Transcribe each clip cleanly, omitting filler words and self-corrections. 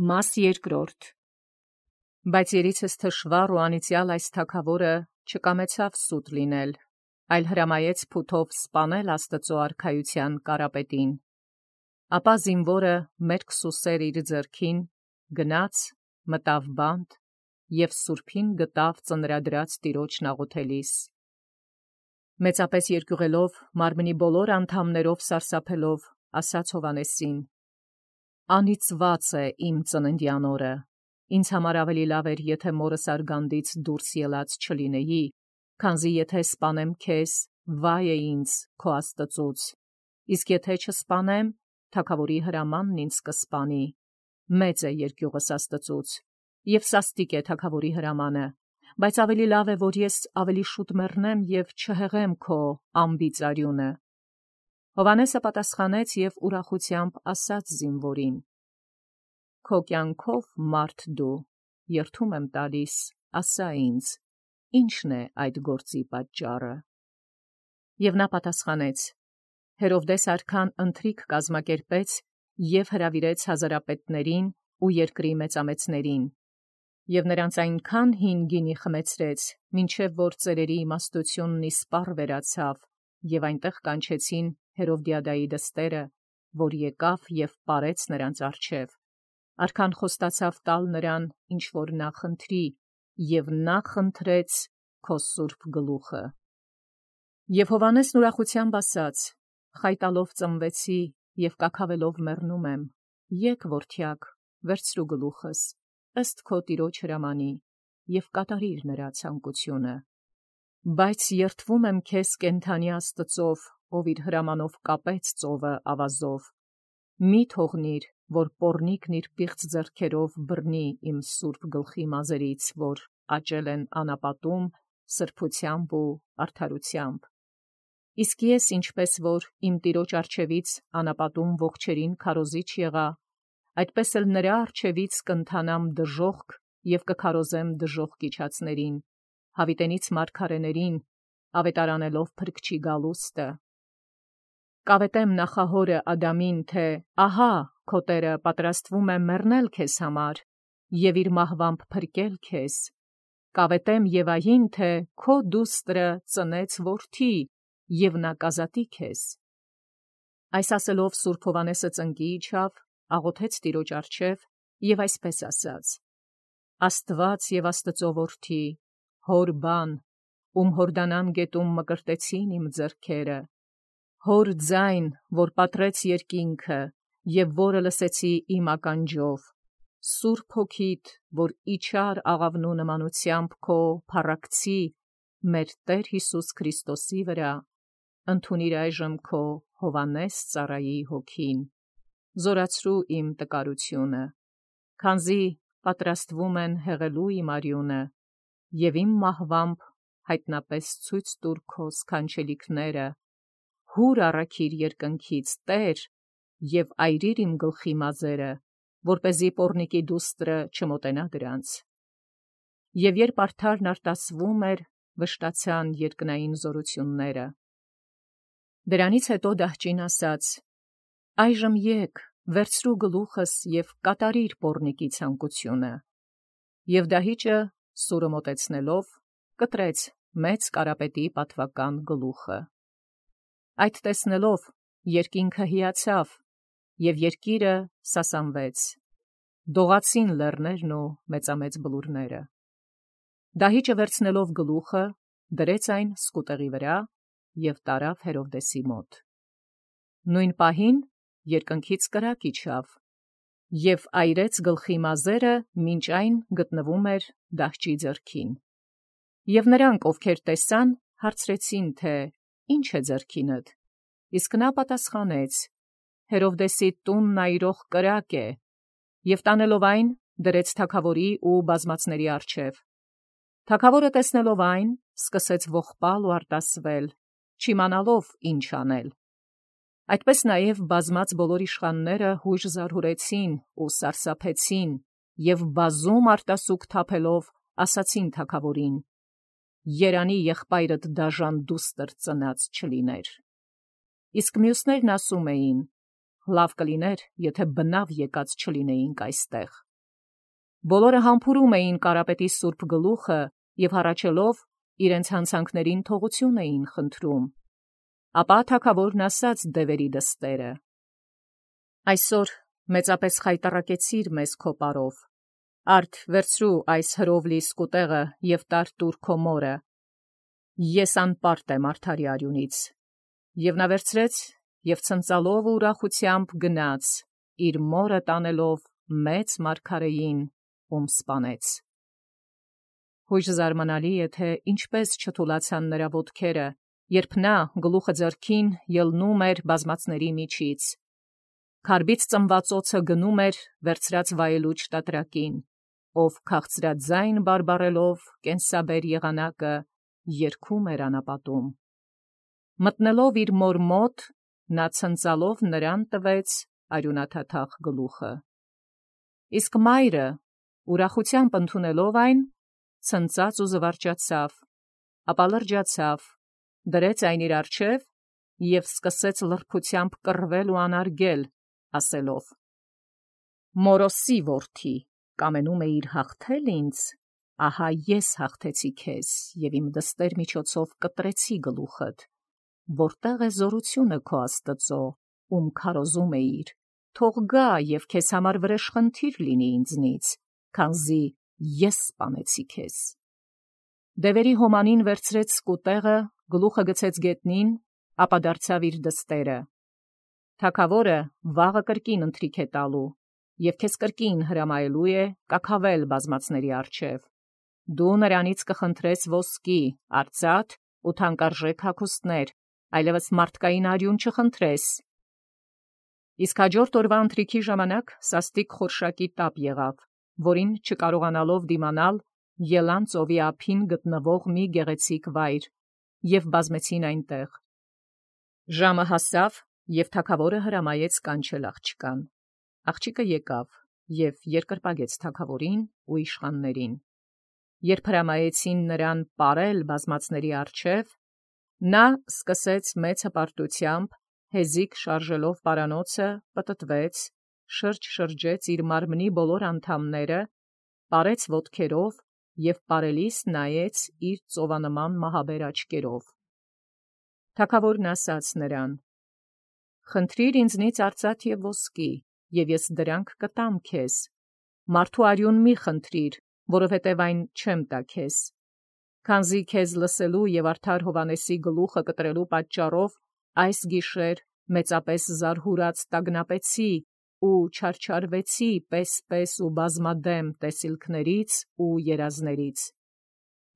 Մաս երկրորդ. Բայց երիցս թշվառ ու անիծյալ այս թագավորը չկամեցավ սուտ լինել, այլ հրամայեց փութով սպանել Աստծու արքայության կարապետին. ապա զինվորը մերկ սուսեր իր ձեռքին գնաց, մտավ բանտ և սուրբին գտավ ծնրադրած տիրոջն աղոթելիս. մեծապես երկյուղելով մարմնի բոլոր անդամներով սարսափելով ասաց Հովհաննեսին. անիծված է իմ ծննդյան օրը, ինձ համար ավելի լավ էր, եթե մորս արգանդից դուրս ելած չլինեի, քանզի եթե սպանեմ քեզ, վայ է ինձ քո Աստծուց, իսկ եթե չսպանեմ, թագավորի հրամանն ինձ կսպանի, մեծ է երկյուղս Աստծուց, և սաստիկ է թագավորի հրամանը, բայց ավելի լավ է, որ ես ավելի շուտ մեռնեմ և չհեղեմ քո անբիծ արյունը։ Հովհաննեսը պատասխանեց և ուրախությամբ ասաց զինվորին. քո կյանքով մարդ դու, երդում եմ տալիս, ասա ինձ, ի՞նչն է այդ գործի պատճառը։ Եվ նա պատասխանեց. Հերովդես արքան ընթրիք կազմակերպեց և հրավիրեց հազարապետներին ու երկրի մեծամեծներին, և նրանց այնքան հին գինի խմեցրեց, մինչև որ ծերերի իմաստությունն իսպառ վերացավ, և այնտեղ կանչեցին Հերովդիադայի դստերը, որ եկավ և պարեց նրանց առջև։ Արքան խոստացավ տալ նրան, ինչ որ նա խնդրի, և նա խնդրեց քո սուրբ գլուխը։ Եվ Հովհաննեսն ուրախությամբ ասաց. խայտալով ծնվեցի և կաքավելով մեռնում եմ, եկ որդյակ, վերցրու գլուխս, ըստ քո տիրոջ հրամանի, և կատարիր նրա ցանկությունը։ Բայց երդվում եմ քեզ կենդանի Աստծով, ով իր հրամանով կապեց ծովը ավազով։ Մի թողնիր, որ պոռնիկն իր պիղծ ձեռքերով բռնի իմ սուրբ գլխի մազերից, որ աճել են անապատում, սրբությամբ ու արդարությամբ։ Իսկ ես, ինչպես որ իմ տիրոջ առջևից անապատում ողջերին քարոզիչ եղա, այդպես էլ նրա առջևից կընթանամ դժոխք և կքարոզեմ դժոխք իջածներին, հավիտենից մարգարեներին, ավետարանելով փրկչի գալուստը։ Կավետեմ նախահորը Ադամին, թե ահա քո Տերը պատրաստվում է մեռնել քեզ համար և իր մահվամբ փրկել քեզ, կավետեմ Եվային, թե քո դուստրը ծնեց որդի, և նա կազատի քեզ։ Այս ասելով սուրբ Հովհաննեսը ծնկի իջավ, աղոթեց տիրոջ առջև և այսպես ասաց. Աստված և Աստծո որդի, հոր բան, ում Հորդանան գետում մկրտեցին իմ ձեռքերը, հոր ձայն, որ պատռեց երկինքը, և որը լսեցի իմ ականջով, Սուրբ Հոգիդ, որ իջար աղավնու նմանությամբ քո փառակցի, մեր Տեր Հիսուս Քրիստոսի վրա, ընդունիր այժմ քո Հովհաննես ծառայի հոգին, զորացրու իմ տկարությունը, քանզի պատրաստվում են հեղելու իմ արյունը, և իմ մահվամբ հայտնապես ցույց տուր քո սքանչելիքները, հուր առաքիր երկնքից, Տեր, և այրիր իմ գլխի մազերը, որպեսզի պոռնիկի դուստրը չմոտենա դրանց։ Եվ երբ արդարն արտասվում էր, վշտացան երկնային զորությունները։ Դրանից հետո դահճին ասաց. այժմ եկ, վերցրու գլուխս և կատարիր պոռնիկի ցանկությունը։ Եվ դահիճը սուրը մոտեցնելով, կտրեց մեծ կարապետի պատվական գլուխը։ Այդ տեսնելով երկինքը հիացավ, և երկիրը սասանվեց, դողացին լեռներն ու մեծամեծ բլուրները։ Դահիճը վերցնելով գլուխը, դրեց այն սկուտեղի վրա և տարավ Հերովդեսի մոտ։ Նույն պահին երկնքից կրակ իջավ և այրեց գլխի մազերը, մինչ այն գտնվում էր դահճի ձեռքին։ Եվ նրանք, ովքեր տեսան, հարցրեցին, թե ի՞նչ է ձեռքինդ, իսկ նա պատասխանեց. Հերովդեսի տունն այրող կրակ է, և տանելով այն, դրեց թագավորի ու բազմածների առջև։ Թագավորը տեսնելով այն, սկսեց ողբալ ու արտասվել, չիմանալով ինչ անել։ Այդպես նաև բազմած բոլոր իշխանները հույժ զարհուրեցին ու սարսափեցին և բազում արտասուք թափելով ասացին թագավորին. երանի եղբայրդ դաժան դուստր ծնած չլիներ։ Իսկ մյուսներն ասում էին. լավ կլիներ, եթե բնավ եկած չլինեինք այստեղ։ Բոլորը համբուրում էին կարապետի սուրբ գլուխը և հառաչելով իրենց հանցանքներին թողություն էին խնդրում։ Ապա թագավորն ասաց դևերի դստերը. «Այսօր մեծապես խայտառակեցիր մեզ քո պարով. արդ վերցրու այս հրովլի սկուտեղը և տուր քո մորը. ես անպարտ եմ արդարի արյունից։ Եվ նա վերցրեց և ցնծալով ու ուրախությամբ գնաց, իր մորը տանելով մեծ մարգարեին, ում սպանեց։ Հույժ զարմանալի է, թե ինչպես չթուլացան նրա ոտքերը, երբ նա գլուխը ձեռքին ելնում էր բազմածների միջից։ Քարբից ծնված օձը գնում էր վերցրած վայելուչ տատրակին, ով քաղցրաձայն բարբառելով կենսաբեր եղանակը երգում էր անապատում։ Մտնելով իր մոր մոտ, նա ցնծալով նրան տվեց արյունաթաթախ գլուխը։ Իսկ մայրը, ուրախությամբ ընդունելով այն, ցնծաց ու զվարճացավ, ապա լրջացավ, դրեց այն իր առջև և սկսեց լրբությամբ կռվել ու անարգել, ասելով. «Մորոսի որդի, կամենում էիր հաղթել ինձ, ահա ես հաղթեցի քեզ և իմ դստեր միջոցով կտրեցի գլուխդ, որտեղ է զորությունը քո Աստծո, ում քարոզում էիր, թող գա և քեզ համար վրեժխնդիր լինի ինձնից, քանզի ես սպանեցի քեզ»։ Դևերի հոմանին վերցրեց սկուտեղը, գլուխը գցեց գետնին, ապա դարձավ իր դստերը. «Թագավորը վաղը կրկին ընթրիք է տալու, և քեզ կրկին հրամայելու է կաքավել բազմածների առջև։ Դու նրանից կխնդրես ոսկի, արծաթ ու թանկարժեք հագուստներ, այլևս մարդկային արյուն չխնդրես»։ Իսկ հաջորդ օրվա ընթրիքի ժամանակ սաստիկ խորշակի տապ եղավ, որին չկարողանալով դիմանալ, ելան ծովի ափին գտնվող մի գեղեցիկ վայր և բազմեցին այնտեղ։ Ժամը հասավ, և թագավորը հրամայեց կանչել աղջկան։ Աղջիկը եկավ և երկրպագեց թագավորին ու իշխաններին։ Երբ հրամայեցին նրան պարել բազմածների առջև, նա սկսեց մեծ հպարտությամբ, հեզիք շարժելով պարանոցը, պտտվեց, շրջեց իր մարմնի բոլոր անդամները, պարեց ոտքերով և պարելիս նայեց իր ծովանման մահաբեր աչքերով։ Թագավորն ասաց նրան. «Խնդրիր ինձնից արծաթ և ոսկի, և ես դրանք կտամ քեզ. մարդու արյուն մի խնդրիր, որովհետև այն չեմ տա քեզ։ Քանզի քեզ լսելու և արդար Հովհաննեսի գլուխը կտրելու պատճառով այս գիշեր մեծապես զարհուրած տագնապեցի ու չարչարվեցի պես ու բազմադեմ տեսիլքներից ու երազներից։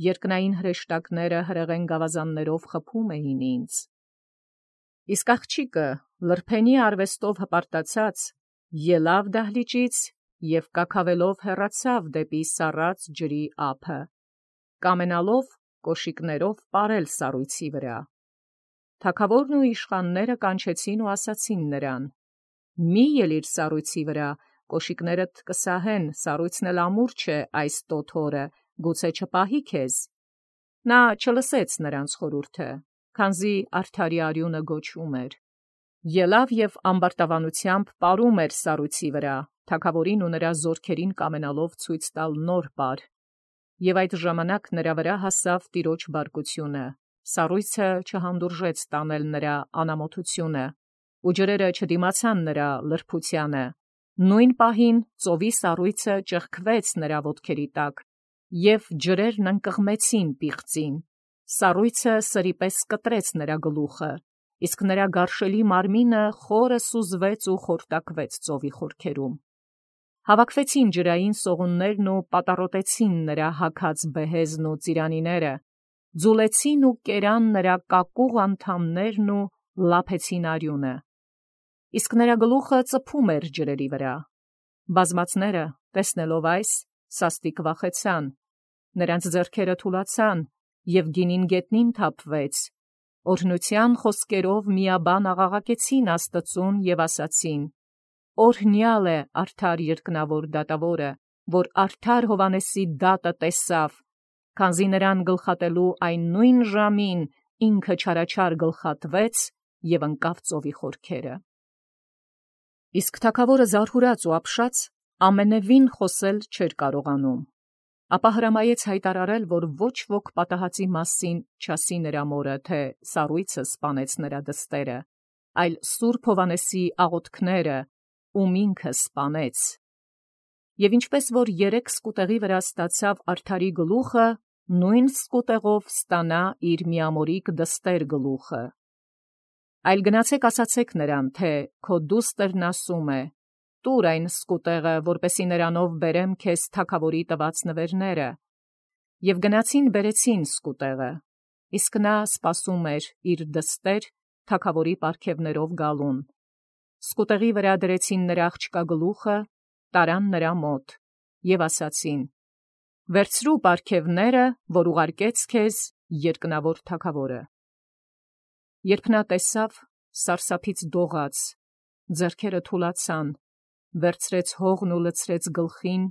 Երկնային հրեշտակները հրեղեն գավազաններով խփում էին ինձ»։ Իսկ աղջիկը լրբենի արվեստով հպարտացած ելավ դահլիճից և կաքավելով հեռացավ դեպի սառած ջրի ափը, կամենալով կոշիկներով պարել սառույցի վրա։ Թագավորն ու իշխանները կանչեցին ու ասացին նրան. «Մի ելիր սառույցի վրա, կոշիկներդ կսահեն, սառույցն էլ ամուր չէ այս տոտ օրը, գուցե չպահի քեզ»։ Նա չլսեց նրանց խորհուրդը, քանզի արդարի արյունը գոչում էր։ Ելավ և ամբարտավանությամբ պարում էր սառույցի վրա, թագավորին ու նրա զորքերին կամենալով ցույց տալ նոր պար։ Եվ այդ ժամանակ նրա վրա հասավ Տիրոջ բարկությունը, սառույցը չհանդուրժեց տանել նրա անամոթությունը, ու ջրերը չդիմացան նրա լրբությանը։ Նույն պահին ծովի սառույցը ճեղքվեց նրա ոտքերի տակ, և ջրերն ընկղմեցին պիղծին։ Սառույցը սրի պես կտրեց նրա գլուխը, իսկ նրա գարշելի մարմինը խորը սուզվեց ու խորտակվեց ծովի խորքերում։ Հավաքվեցին ջրային սողուններն ու պատառոտեցին նրա հագած բեհեզն ու ծիրանիները, ձուլեցին ու կերան նրա կակուղ անդամներն ու լափեցին արյունը։ Իսկ նրա գլուխը ծփում էր ջրերի վրա։ Բազմածները, տեսնելով այս, սաստիկ վախեցան, նրանց ձեռքերը թուլացան, և գինին գետնին թափվեց, օրհնության խոսքերով միաբան աղաղակեցին Աստծուն և ասացին. «Օրհնյալ է արդար երկնավոր դատավորը, որ արդար Հովհաննեսի դատը տեսավ, քանզի նրան գլխատելու այն նույն ժամին ինքը չարաչար գլխատվեց և ընկավ ծովի խորքերը»։ Իսկ թագավորը զարհուրած ու ապշած ամենևին խոսել չէր կարողանում, ապա հրամայեց հայտարարել, որ ոչ ոք պատահածի մասին չասի նրա մորը, թե սառույցը սպանեց նրա դստերը, այլ Սուրբ Հովհաննեսի աղոթքները, ում ինքը սպանեց։ Եվ ինչպես որ 3 սկուտեղի վրա ստացավ արդարի գլուխը, նույն սկուտեղով ստանա իր միամորիկ դստեր գլուխը։ Այլ գնացեք ասացեք նրան, թե քո դուստերն ասում է. «Տուր այն սկուտեղը, որպեսի նրանով բերեմ քեզ թագավորի տված նվերները»։ Եվ գնացին բերեցին սկուտեղը, իսկ նա սպասում էր իր դստեր թագավորի պարգևներով գալուն։ Սկուտեղի վրա դրեցին նրա աղջկա գլուխը, տարան նրա մոտ և ասացին. «Վերցրու պարգևները, որ ուղարկեց քեզ երկնավոր թագավորը»։ Երբ նա տեսավ, սարսափից դողաց, ձեռքերը թուլացան, վերցրեց հողն ու լցրեց գլխին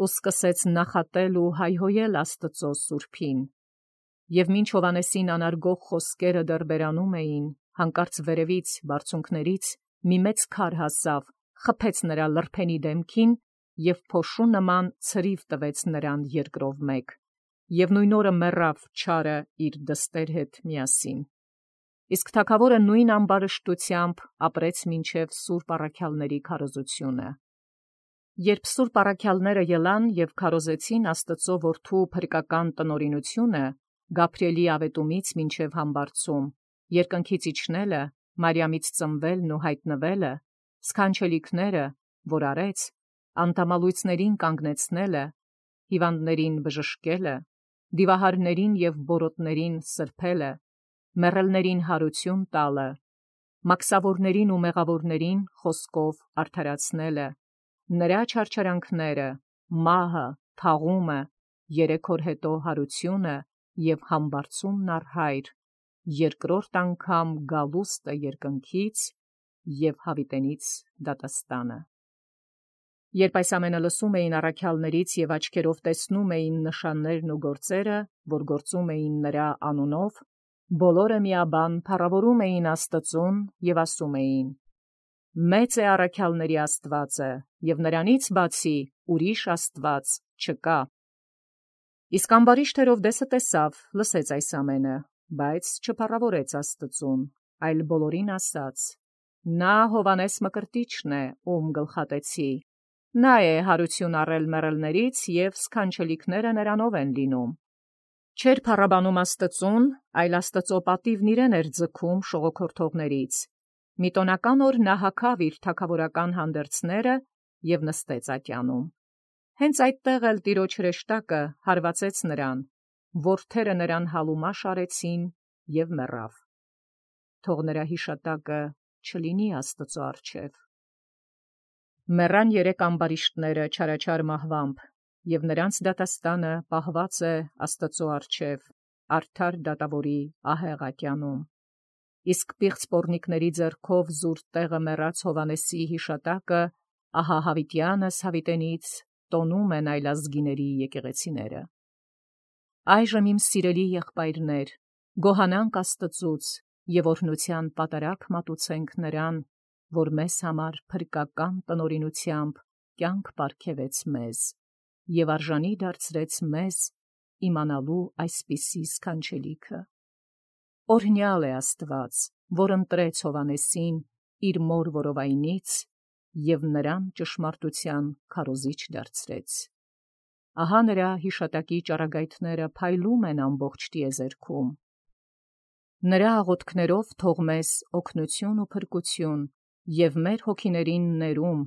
ու սկսեց նախատել ու հայհոյել Աստծո սուրբին։ Եվ մինչ Հովհաննեսին անարգող խոսքերը դեռ բերանում էին, հանկարծ վերևից բարձունքներից մի մեծ քար հասավ, խփեց նրա լրբենի դեմքին և փոշու նման ցրիվ տվեց նրան երկրով մեկ, և նույն օրը մեռավ չարը իր դստեր հետ միասին։ Իսկ թագավորը նույն ամբարշտությամբ ապրեց մինչև սուրբ առաքյալների քարոզությունը։ Երբ սուրբ առաքյալները ելան և քարոզեցին Աստծո որդու փրկական տնօրինությունը, Գաբրիէլի ավետումից մինչև համբարձում, երկնքից իջնելը, Մարիամից ծնվելն ու հայտնվելը, սքանչելիքները, որ արեց, անտամալույցներին կանգնեցնելը, հիվանդներին բժշկելը, դիվահարներին և բորոտներին սրբելը, մեռելներին հարություն տալը, մաքսավորներին ու մեղավորներին խոսքով արդարացնելը, նրա չարչարանքները, մահը, թաղումը, 3 օր հետո հարությունը և համբարձումն առ Հայր, երկրորդ անգամ գալուստը երկնքից և հավիտենից դատաստանը։ Երբ այս ամենը լսում էին առաքյալներից և աչքերով տեսնում էին նշաններն ու գործերը, որ գործում էին նրա անունով, բոլորը միաբան փառավորում էին Աստծուն և ասում էին. «Մեծ է առաքյալների Աստվածը, և նրանից բացի ուրիշ Աստված չկա»։ Իսկ ամբարիշտ Հերովդեսը տեսավ, լսեց այս ամենը, բայց չփառավորեց Աստծուն, այլ բոլորին ասաց. «Նա Հովհաննես Մկրտիչն է, ում գլխատեցի. նա է հարություն առել մեռելներից, և սքանչելիքները նրանով են լինում»։ Չէր փառաբանում Աստծուն, այլ Աստծո պատիվն իրեն էր ձգում շողոքորթողներից։ Մի տոնական օր նա հագավ իր թագավորական հանդերձները և նստեց ատյանում։ Հենց այդտեղ էլ տիրոջ հրեշտակը հարվածեց նրան, որդերը նրան հալումաշ արեցին և մեռավ։ Թող նրա հիշատակը չլինի Աստծո առջև։ Մեռան 3 ամբարիշտները չարաչար մահվամբ, և նրանց դատաստանը պահված է Աստծո առջև, արդար դատավորի ահեղ ատյանում։ Իսկ պիղծ պոռնիկների ձեռքով զուր տեղը մեռած Հովհաննեսի հիշատակը ահա հավիտյանս հավիտենից տոնում են այլազգիների եկեղեցիները։ Այժմ իմ սիրելի եղբայրներ, գոհանանք Աստծուց և օրհնության պատարագ մատուցենք նրան, որ մեզ համար փրկական տնօրինությամբ կյանք պարգևեց մեզ և արժանի դարձրեց մեզ իմանալու այսպիսի սքանչելիքը։ Օրհնյալ է Աստված, որ ընտրեց Հովհաննեսին իր մոր որովայնից և նրան ճշմարտության քարոզիչ դարձրեց։ Ահա նրա հիշատակի ճառագայթները փայլում են ամբողջ տիեզերքում։ Նրա աղոթքներով թող մեզ օգնություն ու փրկություն և մեր հոգիներին ներում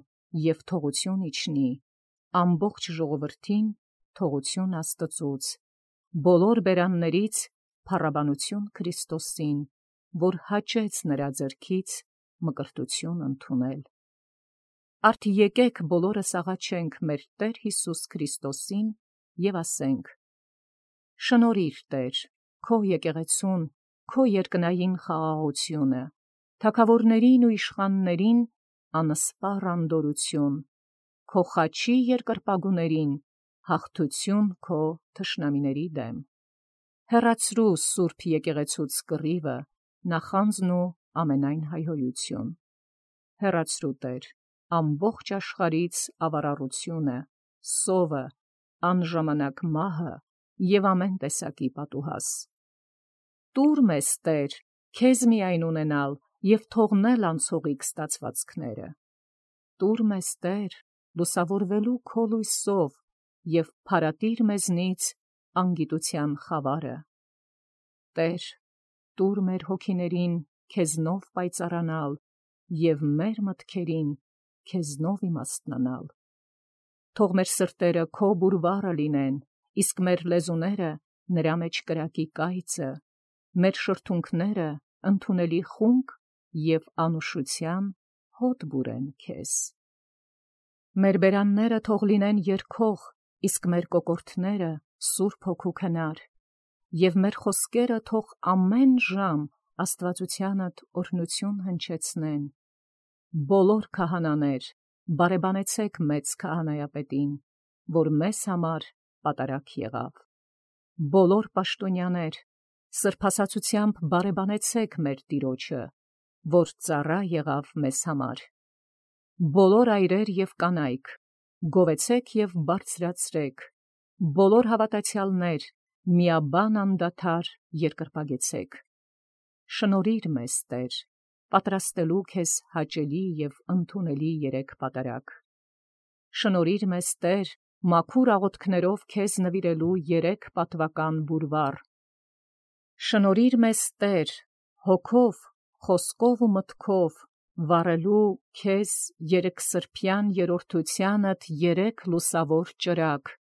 և թողություն իջնի, ամբողջ ժողովրդին թողություն Աստծուց, բոլոր բերաններից փառաբանություն Քրիստոսին, որ հաճեց նրա ձեռքից մկրտություն ընդունել։ Արդ եկեք բոլորս աղաչենք մեր Տեր Հիսուս Քրիստոսին և ասենք. «Շնորհիր Տեր, քո եկեղեցուն, քո երկնային խաղաղությունը, թագավորներին ու իշխաններին անսպառ անդորություն, քո խաչի երկրպագուներին հաղթություն քո թշնամիների դեմ։ Հեռացրու սուրբ եկեղեցուց կռիվը, նախանձն ու ամենայն հայհոյություն։ Հեռացրու Տեր, ամբողջ աշխարհից ավարառությունը, սովը, անժամանակ մահը և ամեն տեսակի պատուհաս։ Տուր մեզ, Տեր, քեզ միայն ունենալ և թողնել անցողիկ ստացվածքները։ Տուր մեզ, Տեր, լուսավորվելու քո լույսով և փարատիր մեզնից անգիտության խավարը։ Տեր, տուր մեր հոգիներին քեզնով պայծառանալ և մեր մտքերին քեզնով իմաստնանալ։ Թող մեր սրտերը քո բուրվառը լինեն, իսկ մեր լեզուները նրա մեջ կրակի կայծը, մեր շրթունքները ընդունելի խունկ և անուշության հոտ բուրեն քեզ։ Մեր բերանները թող լինեն երգող, իսկ մեր կոկորդները Սուրբ Հոգու քնար, և մեր խոսքերը թող ամեն ժամ աստվածությանդ օրհնություն հնչեցնեն։ Բոլոր քահանաներ, բարեբանեցեք մեծ քահանայապետին, որ մեզ համար պատարագ եղավ։ Բոլոր պաշտոնյաներ, սրբասացությամբ բարեբանեցեք մեր Տիրոջը, որ ծառա եղավ մեզ համար։ Բոլոր այրեր և կանայք, գովեցեք և բարձրացրեք, բոլոր հավատացյալներ, միաբան անդադար երկրպագեցեք։ Շնորհիր մեզ, Տեր, պատրաստելու քեզ հաճելի և ընդունելի երեք պատարագ։ Շնորհիր մեզ, Տեր, մաքուր աղոթքներով քեզ նվիրելու երեք պատվական բուրվառ։ Շնորհիր մեզ, Տեր, հոգով, խոսքով ու մտքով վառելու քեզ երեքսրբյան երրորդությանդ երեք լուսավոր ճրագ,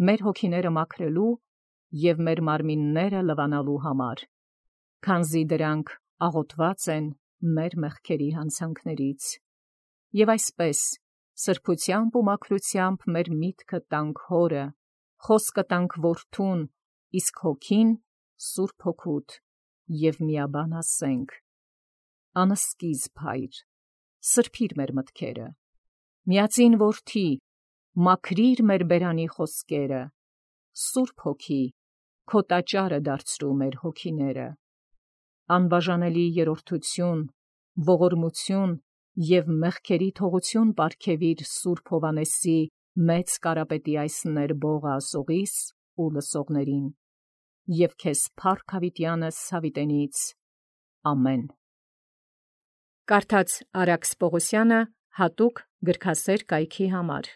մեր հոգիները մաքրելու և մեր մարմինները լվանալու համար, քանզի դրանք աղոթված են մեր մեղքերի հանցանքներից։ Եվ այսպես, սրբությամբ ու մաքրությամբ մեր միտքը տանք Հորը, խոսքը տանք Որդուն, իսկ հոգին Սուրբ Հոգուդ, և միաբան ասենք. անսկիզբ Հայր, սրբիր մեր մտքերը, միածին Որդի, մաքրիր մեր բերանի խոսքերը, Սուրբ Հոգի, քո տաճարը դարձրու մեր հոգիները, անբաժանելի երրորդություն, ողորմություն և մեղքերի թողություն պարգևիր Սուրբ Հովհաննեսի մեծ կարապետի այս ներբող ասողիս ու լսողներին, և քեզ փառք հավիտյանս հավիտենից։ Ամեն։ Կարդաց Արաքս Պողոսյանը հատուկ գրքասեր կայքի համար։